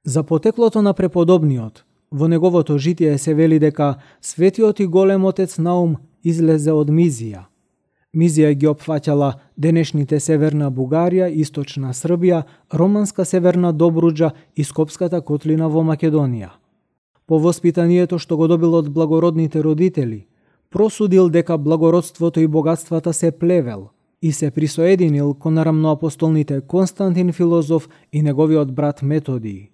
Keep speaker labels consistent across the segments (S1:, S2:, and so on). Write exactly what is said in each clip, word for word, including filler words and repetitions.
S1: За потеклото на преподобниот, во неговото житие се вели дека светиот и голем отец Наум излезе од Мизија. Мизија ги опфаќала денешните Северна Бугарија, Источна Србија, романска Северна Добруџа и Скопската котлина во Македонија. По воспитанието што го добил од благородните родители, просудил дека благородството и богатствата се плевел и се присоединил кон рамноапостолните Константин Филозоф и неговиот брат Методий.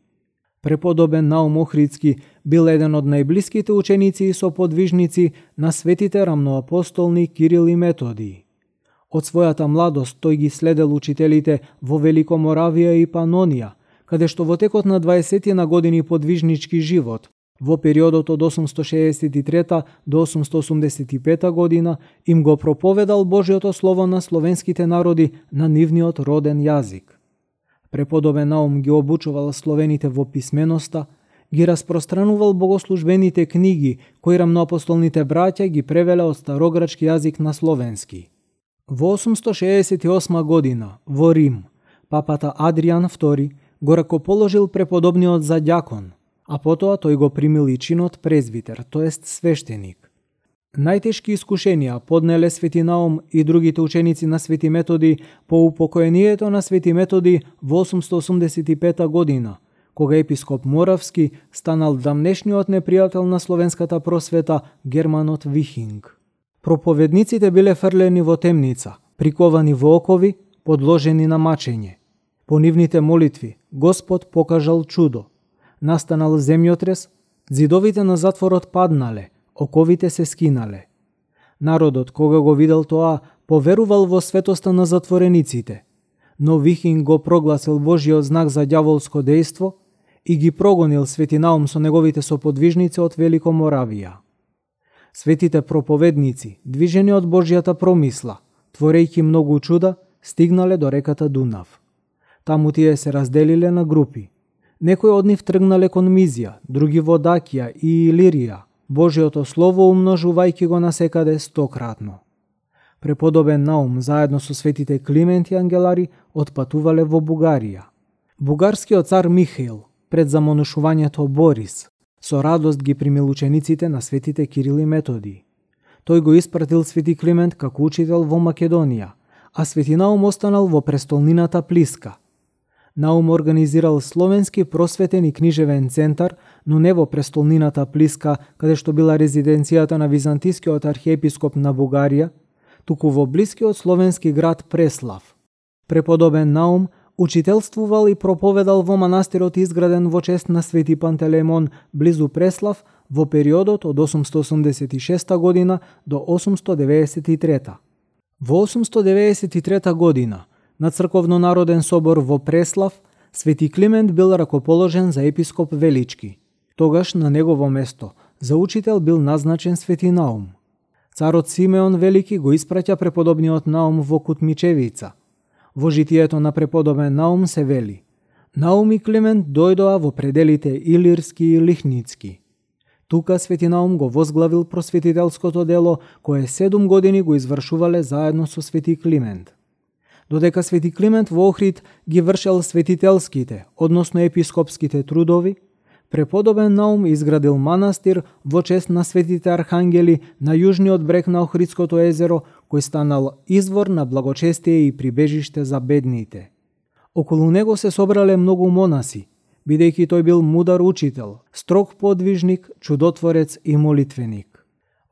S1: Преподобен Наум Охридски бил еден од најблиските ученици и соподвижници на светите рамноапостолни Кирил и Методий. Од својата младост тој ги следел учителите во Великоморавија и Панонија, каде што во текот на дваесетина години подвижнички живот, во периодот од осумсто шеесет и трета до осумсто осумдесет и пета година, им го проповедал Божјото слово на словенските народи на нивниот роден јазик. Преподобен Наум ги обучувал словените во писменоста, ги распространувал богослужбените книги, кои рамноапостолните браќа ги превеле од старограчки јазик на словенски. Во осумсто шеесет и осма година, во Рим, папата Адријан втори го ракоположил преподобниот за ѓакон, а потоа тој го примил и чинот презвитер, тоест свештеник. Најтешки искушенија поднеле Свети Наум и другите ученици на Свети Методий по упокоението на Свети Методий во осумсто осумдесет и пета година, кога епископ Моравски станал дамнешниот непријател на словенската просвета Германот Вихинг. Проповедниците биле фрлени во темница, приковани во окови, подложени на мачење. По нивните молитви Господ покажал чудо. Настанал земјотрес, ѕидовите на затворот паднале, оковите се скинале. Народот, кога го видел тоа, поверувал во светоста на затворениците, но Вихинг го прогласил Божјиот знак за ѓаволско дејство и ги прогонил Свети Наум со неговите соподвижници од Великоморавија. Светите проповедници, движени од Божјата промисла, творејќи многу чуда, стигнале до реката Дунав. Таму тие се разделиле на групи. Некои од нив тргнале кон Мизија, други во Дакија и Илирија, Божјото слово умножувајќи го насекаде стократно. Преподобен Наум заедно со светите Климент и Ангелари отпатувале во Бугарија. Бугарскиот цар Михаил, пред замонушувањето Борис, со радост ги примил учениците на светите Кирил и Методий. Тој го испратил Свети Климент како учител во Македонија, а Свети Наум останал во престолнината Плиска. Наум организирал словенски просветен и книжевен центар, но не во престолнината Плиска, каде што била резиденцијата на византискиот архиепископ на Бугарија, туку во блискиот словенски град Преслав. Преподобен Наум учителствувал и проповедал во манастирот изграден во чест на Свети Пантелеймон близу Преслав во периодот од осумсто осумдесет и шеста година до осумсто деведесет и трета. Во осумсто деведесет и трета година на Црковно-народен собор во Преслав, Свети Климент бил ракоположен за епископ Велички. Тогаш на негово место за учител бил назначен Свети Наум. Царот Симеон Велики го испраќа преподобниот Наум во Кутмичевица. Во житието на преподобен Наум се вели: Наум и Климент дојдоа во пределите Илирски и Лихницки. Тука Свети Наум го возглавил просветителското дело, кое седум години го извршувале заедно со Свети Климент. Додека Свети Климент во Охрид ги вршел светителските, односно епископските трудови, преподобен Наум изградил манастир во чест на светите архангели на јужниот брег на Охридското езеро, кој станал извор на благочестие и прибежиште за бедните. Околу него се собрале многу монаси, бидејќи тој бил мудар учител, строг подвижник, чудотворец и молитвеник.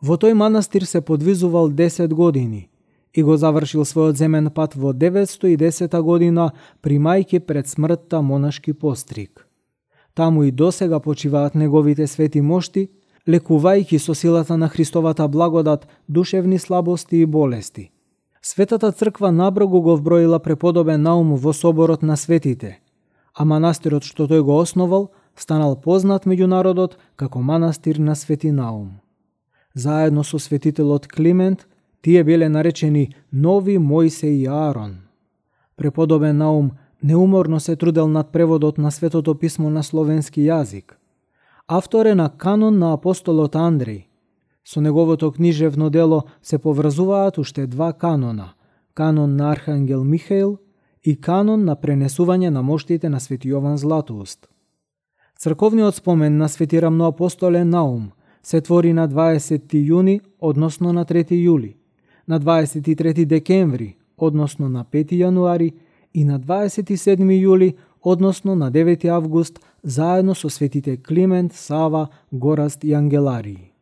S1: Во тој манастир се подвизувал десет години и го завршил својот земен пат во деветсто и десета година, примајќи пред смртта монашки постриг. Таму и досега почиваат неговите свети мошти, лекувајќи со силата на Христовата благодат душевни слабости и болести. Светата црква наброгу го вброила преподобен Наум во соборот на светите, а манастирот што тој го основал станал познат меѓу народот како манастир на Свети Наум. Заедно со светителот Климент, тие биле наречени Нови Мојсе и Аарон. Преподобен Наум неуморно се трудел над преводот на Светото писмо на словенски јазик. Автор е на канон на апостолот Андреј. Со неговото книжевно дело се поврзуваат уште два канона: канон на Архангел Михаил и канон на пренесување на моштите на Свети Јован Златоуст. Црковниот спомен на свети рамноапостолен Наум се твори на дваесетти јуни, односно на трети јули, на дваесет и трети декември, односно на пети јануари и на дваесет и седми јули, односно на девети август, заедно со светите Климент, Сава, Гораст и Ангеларии.